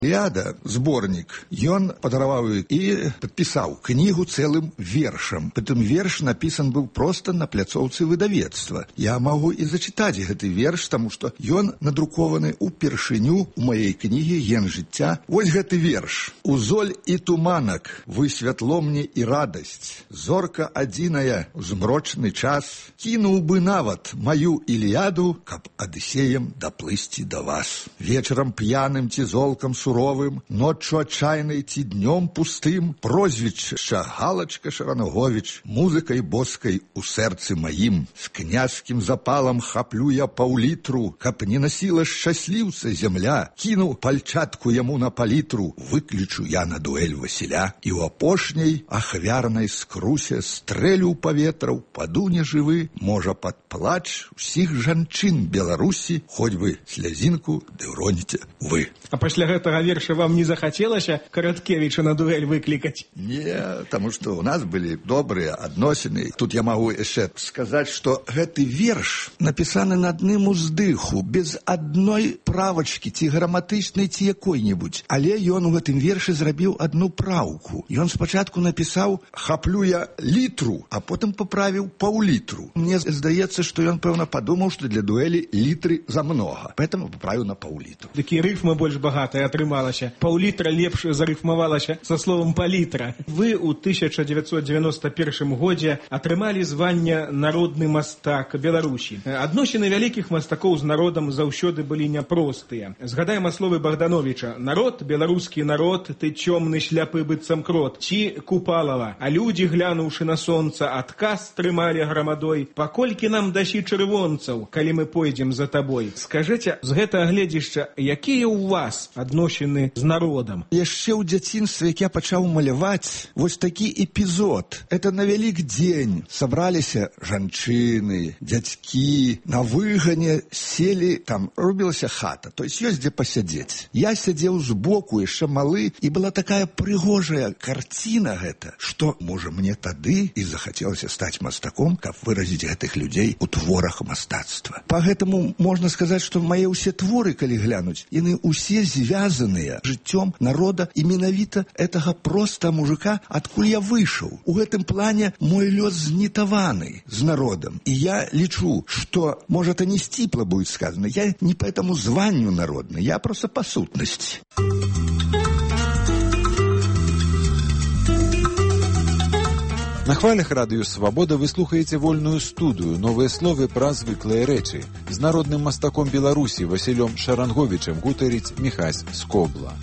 Іліада, зборнік, ён падараваў і падпісаў кнігу цэлым вершам. Прытым верш напісан быў проста на пляцоўцы выдавецтва. Я магу і зачытаць гэты верш, таму што ён надрукованы ўпершыню ў маёй кнігі «Ген жыцця». Вось гэты верш. «У золь і туманак вы святло мне і радасць. Зорка адзіная ў змрочны час. Кінуў бы нават маю Іліаду, каб Адысеем даплысці да вас. Вечарам п'яным ці золкам суровым, ноччу адчайнай ці днём пустым, прозвішча Галачка Шаранговіч, музыкай боскай у сэрцы маім. З княжскім запалам хаплю я паўлітру, каб не насіла шчасліўца зямля. Кіну пальчатку яму на палітру, выключу я на дуэль Васіля. І ў апошняй ахвярнай скрусе стрэлю ў паветра, паду нежывы, можа пад плач усіх жанчын Беларусі, хоць бы слязінку ды ўроніце вы». А пасля гэтага верша вам не захацелася Караткевіча на дуэль выклікаць? Не, таму што ў нас былі добрыя адносіны. Тут я магу яшчэ сказаць, што гэты верш напісаны на адным уздыху, без адной правачкі, ці граматычнай, ці якой-небудзь. Але ён у гэтым вершы зрабіў адну праўку. Ён спачатку напісаў «хаплю я літру», а потым паправіў паўлітру. Мне здаецца, што ён, пэўна, падумаў, што для дуэлі літры замнога. Поэтому паправіў на паўлітру. Такі рыфма больш багатая атрымалася. Паўлітра лепш зарыфмавалася са словам палітра. Вы ў 1991 годзе атрымалі звання народны мастак Беларусі. Адносіны вялікіх мастакоў з народам заўсёды былі няпростыя. Згадаем словы Богдановича: «Народ, беларускі народ, ты цёмны шляпы быццам крот». Ці Купалава: «А людзі, глянуўшы на сонца, адказ трымалі грамадой. Паколькі нам дасі чырвонцаў, калі мы пойдзем за табой». Скажыце, з гэтага гледзішча, якія ў вас адносіны з народам? Яшчэ ў дзяцінстве, як я пачаў маляваць, вось такі эпізод. Это на Вялікдзень сабраліся жанчыны, дзядзькі, на выгане селі, там рубілася хата, то есть ёсць дзе пасядзець. Я сядзеў збоку, яшчэ малы, і была такая прыгожая карціна гэта, што, можа, мне тады і захацелася стаць мастаком, каб выразіць гэтых людзей у творах мастацтва. Па гэтаму можна сказаць, што мае ўсе творы, калі глянуць, яны ўсе звязаныя жыццём народа і менавіта гэтага проста мужика, адкуль я выйшаў. У гэтым плане мой лёс знітаваны з народам. І я лічу, што, можа, это не сціпла будет сказано, я не по этому званню народны, я просто по сутнасці. На хвалях радыё «Свабода» вы слухаеце вольную студыю, новыя словы пра звыклыя рэчы. З народным мастаком Беларусі Васілём Шаранговічам гутарыць Міхась Скобла.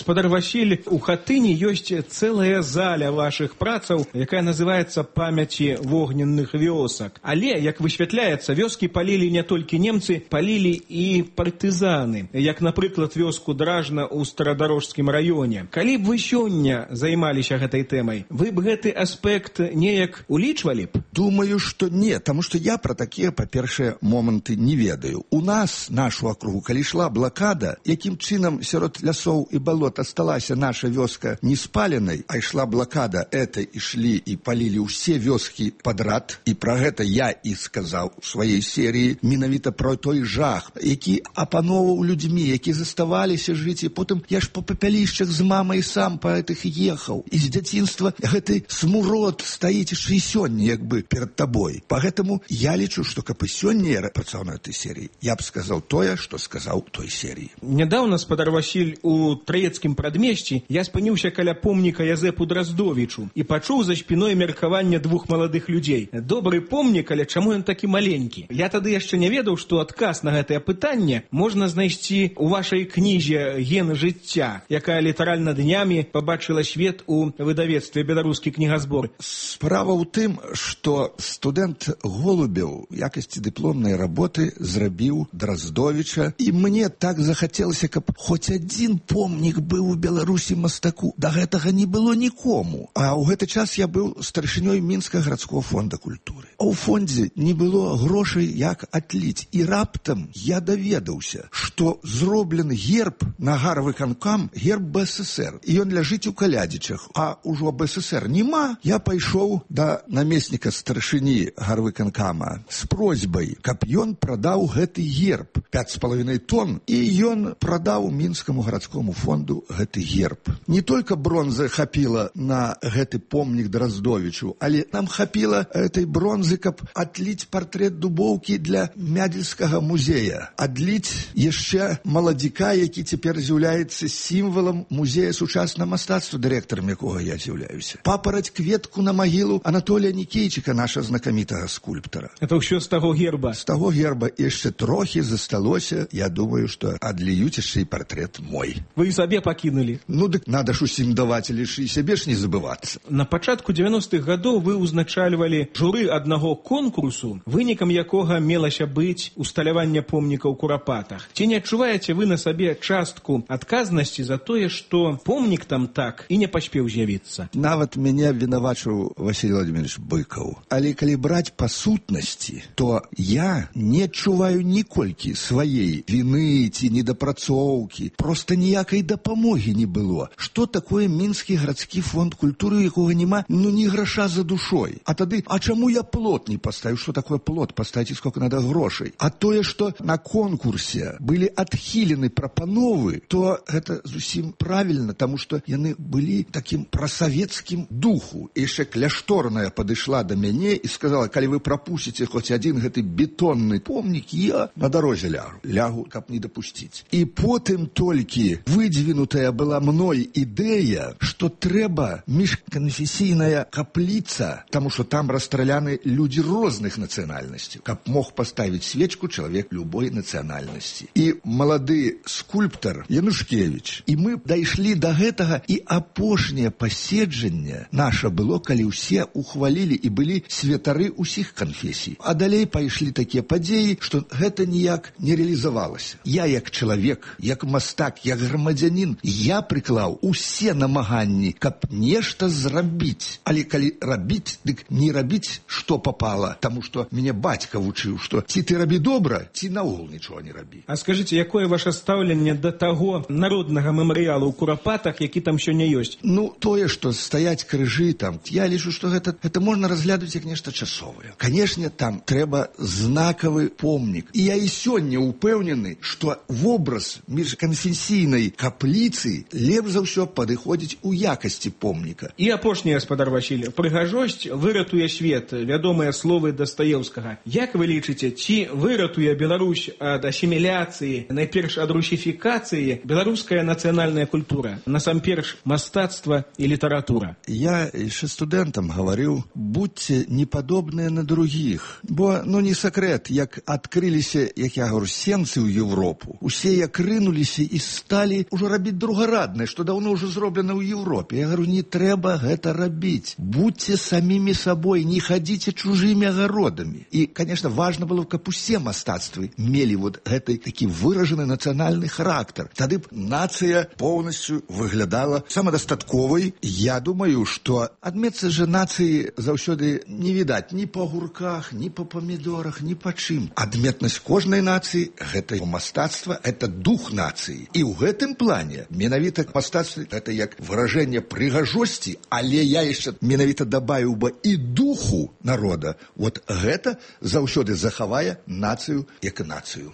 Гаспадар Васіль, у хатыні ёсць цэлая заля вашых працаў, якая называецца «Памяці вогненных вёсак». Але, як высвятляецца, вёскі палілі не толькі немцы, палілі і партызаны, як, напрыклад, вёску Дражна ў Старадарожскім раёне. Калі б вы сёння займаліся гэтай тэмай, вы б гэты аспект неяк улічвалі б? Думаю, што не, таму што я пра такія, па-першае, моманты не ведаю. У нас, нашу акругу, калі ішла блакада, якім чынам сярод лясоў і балот асталася наша вёска не спаленай, а ішла блакада, это ішлі і палілі ўсе вёскі падрад, і пра гэта я і сказаў у сваёй серыі, менавіта пра той жах, які апаноўваў людзьмі, які заставаліся жыць, і потым я ж па папялішчах з мамай сам па гэтых ехаў. І з дзяцінства гэты смурод стаіць і сёння, як бы, перад табой. Па гэтаму я лічу, што каб і сёння я працаваў на этой серыі, я б сказаў тое, што сказаў той серыі. Нядаўна, спадар Васіль, у Траецкім прадмесці я спыніўся каля помніка Язэпу Драздовічу і пачуў за спіной меркаванне двух маладых людзей. Добры помнік, але чаму ён такі маленькі? Я тады яшчэ не ведаў, што адказ на гэтае пытанне можна знайсці ў вашай кнізе «Ген жыцця», якая літаральна днямі пабачыла свет у выдавецтве «Беларускі кнігазбор». Справа ў тым, што што студэнт Голубеў в якасці дыпломнай работы зрабіў Драздовіча, і мне так захацелася, каб хоць адзін помнік быў у Беларусі мастаку. Да гэтага не было нікому. А ў гэты час я быў старшынёй Мінскага гарадскога фонда культуры. А ў фондзе не было грошай, як атліць. І раптам я даведаўся, што зроблены герб на гарвыканкам, герб БССР. І ён ляжыць у Калядзічах. А ўжо БССР няма. Я пайшоў да намесніка старшыні гарвыканкама з просьбай, каб ён прадаў гэты герб 5,5 тонн, і ён прадаў Мінскаму гарадскому фонду гэты герб. Не толькі бронзы хапіла на гэты помнік Драздовічу, але нам хапіла этой бронзы, каб адліць партрэт Дубоўкі для Мядзельскага музея. Адліць яшчэ маладзіка, які цяпер з'яўляецца сімвалам музея сучаснага мастацтва, дырэктарам якога я з'яўляюся. Папараць кветку на магілу Анатолія Нікейчыка, наша знакамітага скульптара. Это ўсё з таго герба? З таго герба яшчэ трохі засталося. Я думаю, што адліюць яшчэ і партрэт мой. Вы і сабе пакінулі? Ну, дык надо ж усім даваць, але ж і сябе ж не забывацца. На пачатку 90-х гадоў вы ўзначальвалі журы аднаго конкурсу, вынікам якога мелася быць усталяванне помніка ў Курапатах. Ці не адчуваеце вы на сабе частку адказнасці за тое, што помнік там так і не паспеў з'явіцца? Нават мяне вінавачыў Василий Владимирович Быкаў. Але калі браць па сутнасці, то я не адчуваю ніколькі сваей віны ці недапрацоўкі. Проста ніякай дапамогі не было. Што такое Мінскі гарадскі фонд культуры, у якога няма ні граша за душой? А тады, а чаму я плот не паставіў? Што такое плот? Паставіць сколько надо грошай. А тое, што на конкурсе былі адхілены прапановы, то гэта зусім правільна, таму што яны былі такім прасавецкім духу. І яшчэ Кляшторная падышла да мяне і сказала, калі вы прапусціце хоць адзін гэты бетонны помнік, я на дарозе лягу, каб не дапусціць. І потым толькі выдвінутая была мной ідэя, што трэба міжканфесійная капліца, таму што там расстраляны людзі розных нацыянальнасцяў, каб мог паставіць свечку чалавек любой нацыянальнасці. І малады скульптар Янушкевіч. І мы дайшлі да гэтага, і апошняе паседжанне наша было, калі ўсе ухвалілі і былі святары ўсіх канфесій. А далей пайшлі такія падзеі, што гэта ніяк не рэалізавалася. Я як чалавек, як мастак, як грамадзянін, я прыклаў усе намаганні, каб нешта зрабіць. Але калі рабіць, дык не рабіць, што папала, таму што мяне бацька вучыў, што ці ты рабі добра, ці наогул нічого не рабі. А скажыце, якое ваше стаўленне да таго народнага мемарыялу ў Курапатах, які там сёння ёсць? Ну, тое, што стаяць крыжы там, я лічу, што гэта можна разглядаць як нешта часовае. Канешне, там трэба знакавы помнік. І я і сёння упэўнены, што вобраз міжканфесійнай капліцы лепш за ўсё падыходзіць у якасці помніка. І апошні, гаспадар Васіль, прыгажосць выратуе свет, вядомыя словы Дастаеўскага. Як вы лічыце, ці выратуе Беларусь ад асіміляцыі, найперш ад русіфікацыі, беларуская нацыянальная культура, насамперш мастацтва і літаратура? Я яшчэ студэнтам гаварыў, будьце не падобныя на другіх. Бо, не сакрэт, як адкрыліся, як я говорю, сенцы ў Европу. Усе як рынуліся і сталі ўжо рабіць другараднае, што даўно ўжо зроблена ў Европе. Я говорю, не трэба гэта рабіць. Будьце самімі сабой, не хадзіце чужымі агародамі. І, конечно, важна было, каб усе мастацтвы мелі гэты такі выражаны нацыянальны характар. Тады б нацыя поўнасцю выглядала самадастатковай. Я думаю, што адметцы же нацыі заўсёды не відаць ні па гурках, ні па памідорах, ні па чым. Адметнасць кожнай нацыі – гэта мастацтва, гэта дух нацыі. І ў гэтым плане менавіта мастацтва – гэта як выражэнне прыгажосці, але я яшчэ менавіта дабавіў бы і духу народа. Гэта заўсёды захавае нацыю як нацыю.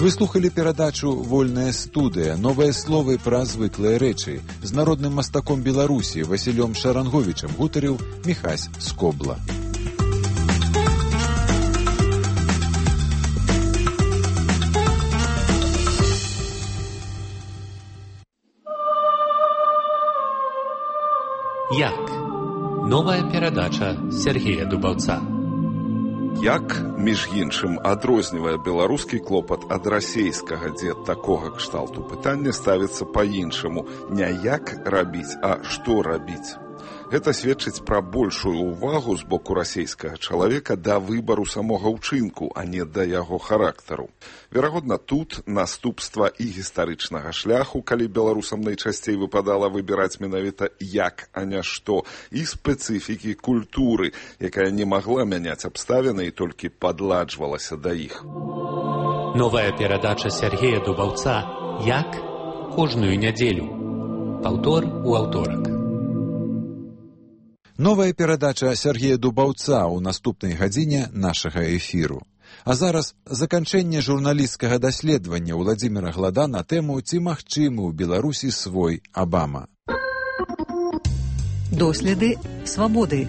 Вы слухали перадачу «Вольная студыя. Новыя словы пра звыклыя рэчы». З народным мастаком Беларусі Васілём Шаранговічам гутарыў Міхась Скобла. Як? Новая перадача Сергея Дубаўца. Як, між іншым, адрознівае беларускі клопат ад расейскага, дзе такога кшталту пытання ставіцца па-іншаму. Не як рабіць, а што рабіць. Гэта сведчыць пра большую ўвагу з боку расейскага чалавека да выбару самога ўчынку, а не да яго характару. Верагодна, тут наступства і гістарычнага шляху, калі беларусам найчасцей выпадала выбіраць менавіта як, а не што, і спецыфікі культуры, якая не магла мяняць абставіны і толькі падладжвалася да іх. Новая перадача Сергея Дубаўца «Як?» кожную нядзелю. Паўтор у аўторак. Новая перадача Сергея Дубаўца ў наступнай гадзіне нашага эфіру. А зараз заканчэнне журналісцкага даследавання Владзіміра Глада на тэму «Ці магчымы ў Беларусі свой Абама». Доследы свабоды.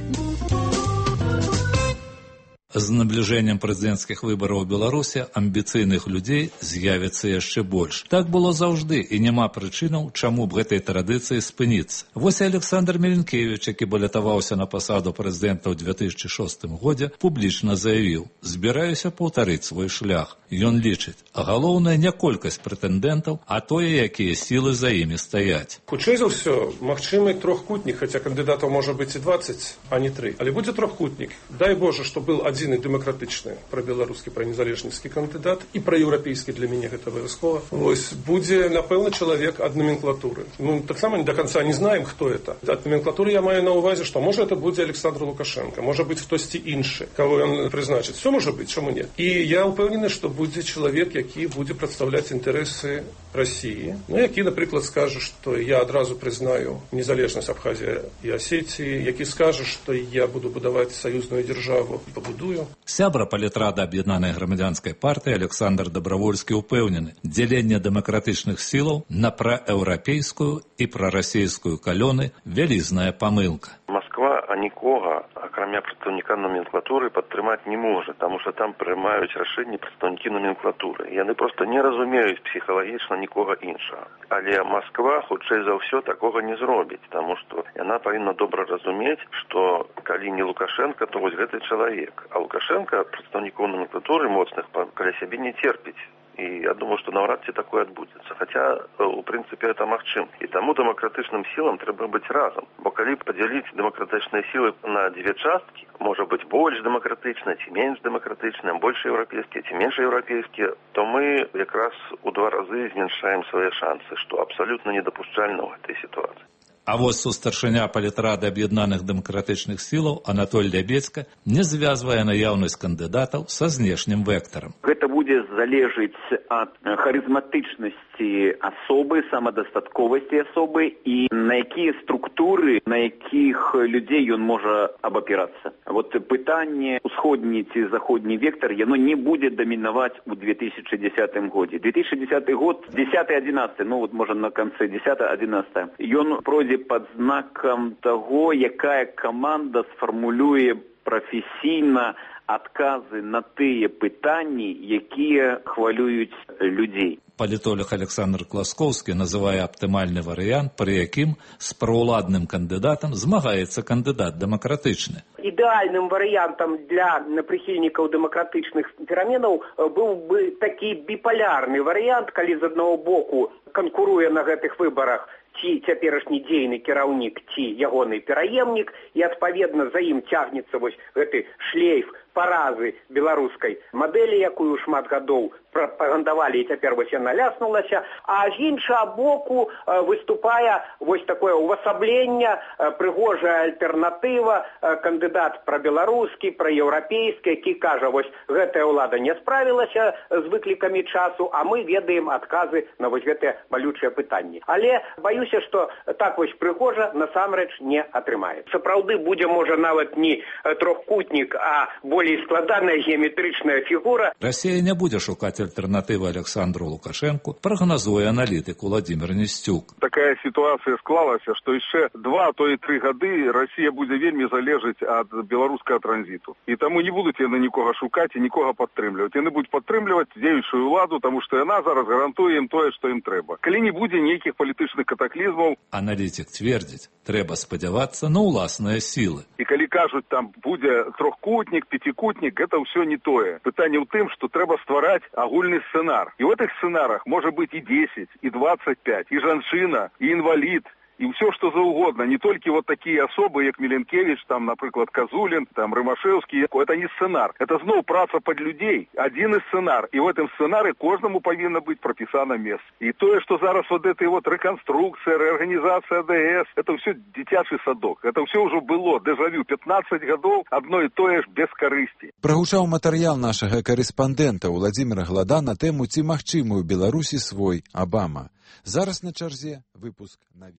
З набліжэннем прэзідэнцкіх выбараў у Беларусі амбіцыйных людзей з'явіцца яшчэ больш. Так было заўжды, і няма прычынаў, чаму б гэтай традыцыі спыніцца. Вось Александр Меленкевіч, які балятаваўся на пасаду прэзідэнта ў 2006 годзе, публічна заявіў: «Збіраюся паўтарыць свой шлях». Ён лічыць, а галоўнае не колькасць прэтэндэнтаў, а тое, якія сілы за імі стаяць. Хутчэй за ўсё, магчымы трохкутнік, хаця кандыдатаў можа быць і 20, а не 3. Але будзе трохкутнік. Дай Боже, што был адзін і дэмакратычны, пра-беларускі, пра-незалежніцкі кандыдат, і пра-еўрапейскі, для мяне гэта абавязкова. Вось, будзе, напэўна, чалавек ад номенклатуры. Таксама до конца не знаем, хто это. Ад номенклатуры я маю на ўвазе, што можа это будзе Александр Лукашенко, можа быць хтосьці іншы, каго ён прызначыць. Все можа быць, чаму не? І я ўпэўнены, што будзе чалавек, які будзе прадстаўляць інтарэсы России, які, напрыклад, скажа, што я адразу прызнаю незалежнасць Абхазіі і Асетіі, які скажа, што я буду будаваць саюзную дзяржаву і пабудую. Сябра палітрада аб'яднанай грамадзянскай партыі Александр Дабравольскі ўпэўнены, дзяленне дэмакратычных сілаў на праеўрапейскую і прарасейскую калёны вялізная памылка. Москва нікога, акрамя прадстаўніка номенклатуры, падтрымаць не можа, таму што там прымаюць рашэнні прадстаўнікі номенклатуры. Яны проста не разумеюць псіхалагічна нікога іншага. Але Москва, хутчэй за ўсё, такога не зробіць, таму што яна павінна добра разумець, што калі не Лукашенко, то вось гэты чалавек. А Лукашенко прадстаўнікоў номенклатуры моцных каля сябе не церпіць. І я думаю, што наўрад ці такое адбудзецца. Хаця, у прынцыпе, гэта магчым. І таму дэмакратычным сілам трэба быць разам. Бо калі падзяліць дэмакратычныя сілы на дзве часткі, можа быць больш дэмакратычныя, ці менш дэмакратычныя, больш еўрапейскія, ці менш еўрапейскія, то мы якраз у 2 разы зменшаем свае шансы, што абсалютна недапушчальна ў гэтай сітуацыі. А вось сустаршыня палітрады аб'яднаных дэмакратычных сілаў Анатоль Лябецька не звязвае наяўнасць кандыдатаў са знешнім вектарам. Гэта будзе залежыць ад харызматычнасці асобы, самадастатковасці асобы і на якія структуры, на якіх людзей ён можа абапірацца. Вот пытанне усходні ці заходні вектар, яно не будзе дамінаваць у 2010 годзе. 2010 год, 10-11, ну вот можа на канцы 10-11, ён пройдзе пад знакам таго, якая каманда сфармулюе прафесійна адказы на тыя пытанні, якія хвалююць людзей. Палітолог Александр Класкоўскі называе аптымальны варыянт, пры якім з праўладным кандыдатам змагаецца кандыдат дэмакратычны. Ідэальным варыянтам для прыхільнікаў дэмакратычных пераменаў быў бы такі біполярны варыянт, калі з аднаго боку канкуруе на гэтых выбарах ці цяперашні дзейны кіраўнік, ці ягоны пераемнік, і адпаведна за ім цягнецца вось гэты шлейф паразы беларускай мадэлі, якую шмат гадоў прапагандавалі, і цяпер вось яна ляснулася, а з іншага боку выступае вось такое увасабленне, прыгожая альтэрнатыва, кандыдат прабеларускі, праеўрапейскі, які кажа, вось гэтая ўлада не справілася з выклікамі часу, а мы ведаем адказы на вось гэтыя балючыя пытанні. Але баюся, што так вось прыгожа насамрэч не атрымаецца. Сапраўды будзе, можа, нават не трохкутнік, а болей складаная геаметрычная фігура. Расія не будзе шукаць альтэрнатывы Александру Лукашенку, прагназуе аналітык Владзімір Несцюк. Такая сітуацыя склалася, што яшчэ 2, то і 3 гады Расія будзе вельмі залежыць ад беларускага транзіту. І таму не будуць яны нікога шукаць і нікога падтрымліваць. Яны будуць падтрымліваць дзеючую ўладу, таму што яна зараз гарантуе ім тое, што ім трэба. Калі не будзе нейкіх палітычных катаклізмаў. Аналітик твердзіць, трэба спадзявацца на ўласныя сілы. І калі кажуць, там будзе трохкутнік, 5 трикутник, это все не тое. Пытание ў тым, что трэба ствараць агульны сцэнар. И в этих сценарах может быть и 10, и 25, и жанчына, и инвалид, и все, что за угодно. Не только вот такие особы, как Миленкевич, там, например, Козулин, там, Рымашевский. Это не сценар. Это снова праца под людей. Один из сценар. И в этом сценарии каждому повинно быть прописано место. И то, что зараз вот этой вот реконструкция, реорганизация АДС, это все дитячий садок. Это все уже было. Дежавю. 15 годов одно и то ж без корысти. Прагучаў матэрыял нашага карэспандэнта Владзіміра Глада на тэму «Ці магчымы ў Беларусі свой Абама». Зараз на чарзе выпуск навін.